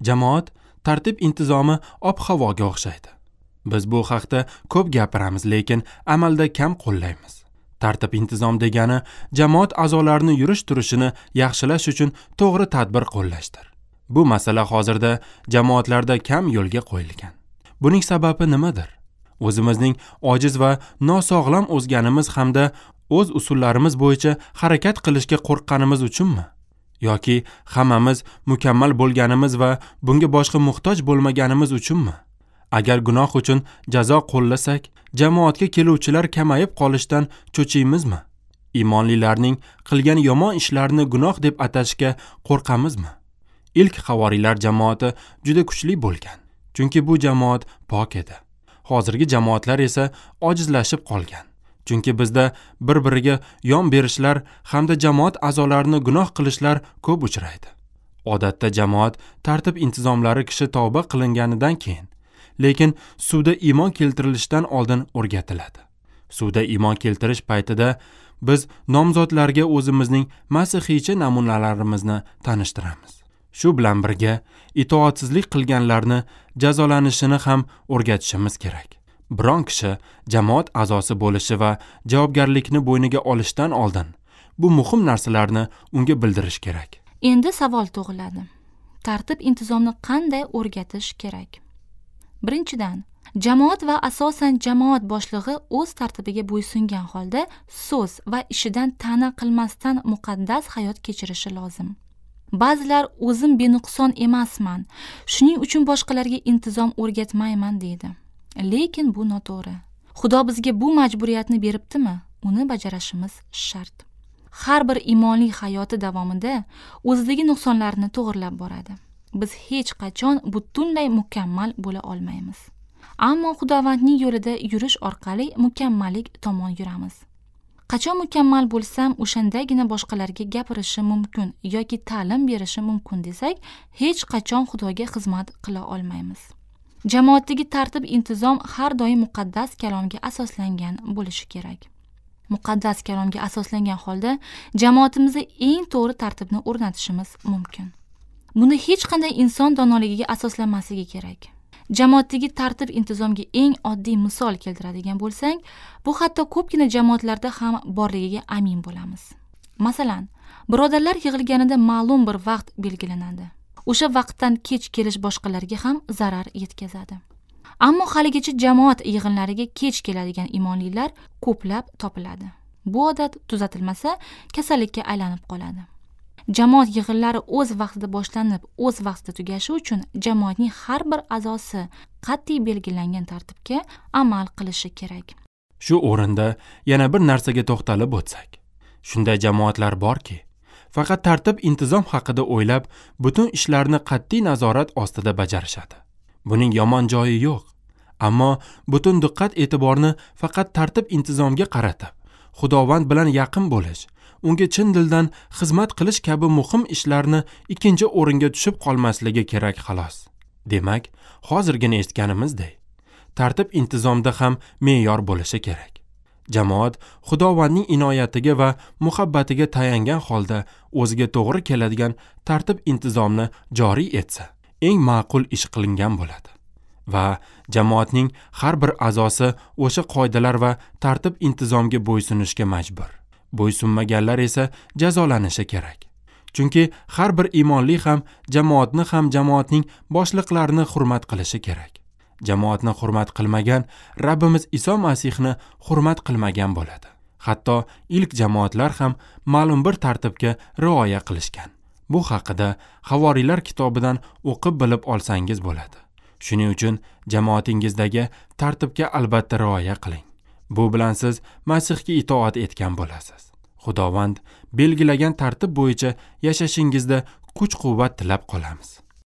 Jamoat tartib intizomi ob-havoga o'xshaydi. Biz bu haqda ko'p gapiramiz, lekin amalda kam qo'llaymiz. Tartib intizom degani jamoat a'zolarini yurish-turishini yaxshilash uchun to'g'ri tadbir qo'llashdir. Bu masala hozirda jamoatlarda kam yo'lga qo'yilgan. Buning sababi nimadir? O'zimizning ojiz va nosog'lom o'zganimiz hamda o'z usullarimiz bo'yicha harakat qilishga qo'rqqanimiz uchunmi? Yoki hammamiz mukammal bo'lganimiz va bunga boshqa muhtoj bo'lmaganimiz uchunmi? Agar gunoh uchun jazo qo'llasak, jamoatga keluvchilar kamayib qolishdan cho'chiymizmi? Iymonlilarning qilgan yomon ishlarini gunoh deb atashga qo'rqamizmi? Ilk havoriylar jamoati juda kuchli bo'lgan, chunki bu jamoat pok edi. Hozirgi jamoatlar esa ojizlashib qolgan. Chunki bizda bir-biriga yon berishlar hamda jamoat a'zolarini gunoh qilishlar ko'p uchraydi. Odatda jamoat tartib intizomlari kishi tavba qilinganidan keyin, lekin suvda iymon keltirilishidan oldin o'rgatiladi. Suvda iymon keltirish paytida biz nomzodlarga o'zimizning masihiycha namunalarimizni tanishtiramiz. Shu bilan birga itoatsizlik qilganlarni jazolanishini ham o'rgatishimiz kerak. Biron kishi jamoat a'zosi bo'lishi va javobgarlikni bo'yniga olishdan oldin bu muhim narsalarni unga bildirish kerak. Endi savol tug'iladi. Tartib intizomni qanday o'rgatish kerak? Birinchidan, jamoat va asosan jamoat boshlig'i o'z tartibiga bo'ysungan holda so'z va ishidan ta'na qilmasdan muqaddas hayot kechirishi lozim. Ba'zilar o'zim benuqson emasman, shuning uchun boshqalarga intizom o'rgatmayman deydi. Lekin bu noto'g'ri. Xudo bizga bu majburiyatni beribdimi? Uni bajarishimiz shart. Har bir iymonli hayoti davomida o'zidagi nuqsonlarni to'g'rilab boradi. Biz hech qachon butunlay mukammal bo'la olmaymiz. Ammo Xudovandning yo'lida yurish orqali mukammallik tomon yuramiz. Qachon mukammal bo'lsam, o'shandagina boshqalarga gapirishim mumkin yoki ta'lim berishim mumkin desak, hech qachon Xudoga xizmat qila olmaymiz. Jamoatdagi tartib intizom har doim muqaddas kalomga asoslangan bo'lishi kerak. Muqaddas kalomga asoslangan holda jamoatimizda eng to'g'ri tartibni o'rnatishimiz mumkin. Buni hech qanday inson donoligiga asoslanmasligi kerak. Jamoatdagi tartib intizomga eng oddiy misol keltiradigan bo'lsak, bu hatto ko'pgina jamoatlarda ham borligiga amin bo'lamiz. Masalan, birodarlar yig'ilganida ma'lum bir vaqt belgilanadi. O'sha vaqtdan kech kelish boshqalarga ham zarar yetkazadi. Ammo haligacha jamoat yig'inlariga kech keladigan iymonlilar ko'plab topiladi. Bu odat tuzatilmasa, kasallikka aylanib qoladi. Jamoat yig'inlari o'z vaqtida boshlanib, o'z vaqtida tugashi uchun jamoatning har bir a'zosi qat'iy belgilangan tartibga amal qilishi kerak. Shu o'rinda yana bir narsaga to'xtalib o'tsak. Shunday jamoatlar borki, faqat tartib intizom haqida o'ylab, butun ishlarni qat'iy nazorat ostida bajarishadi. Buning yomon joyi yo'q. Ammo butun diqqat e'tiborni faqat tartib intizomga qaratib, Xudovand bilan yaqin bo'lish, unga chin dildan xizmat qilish kabi muhim ishlarni ikkinchi o'ringa tushib qolmasligi kerak xolos. Demak, hozirgina eshitganimizdek, tartib intizomda ham me'yor bo'lishi kerak. Jamoat Xudovandning inoyatiga va muhabbatiga tayangan holda o'ziga to'g'ri keladigan tartib intizomni joriy etsa, eng ma'qul ish qilingan bo'ladi. Va jamoatning har bir a'zosi o'sha qoidalar va tartib intizomga bo'ysunishga majbur. Bo'ysunmaganlar esa jazolanishi kerak. Chunki har bir iymonli ham jamoatni ham jamoatning boshliqlarini hurmat qilishi kerak. Jamoatni hurmat qilmagan Rabbimiz Iso Masihni hurmat qilmagan bo'ladi. Hatto ilk jamoatlar ham ma'lum bir tartibga rioya qilishgan. Bu haqida Havoriylar kitobidan o'qib bilib olsangiz bo'ladi. Shuning uchun jamoatingizdagi tartibga albatta rioya qiling. Bu bilan siz Masihga itoat etgan bo'lasiz. Xudovand belgilagan tartib bo'yicha yashashingizda kuch-quvvat tilab qolamiz.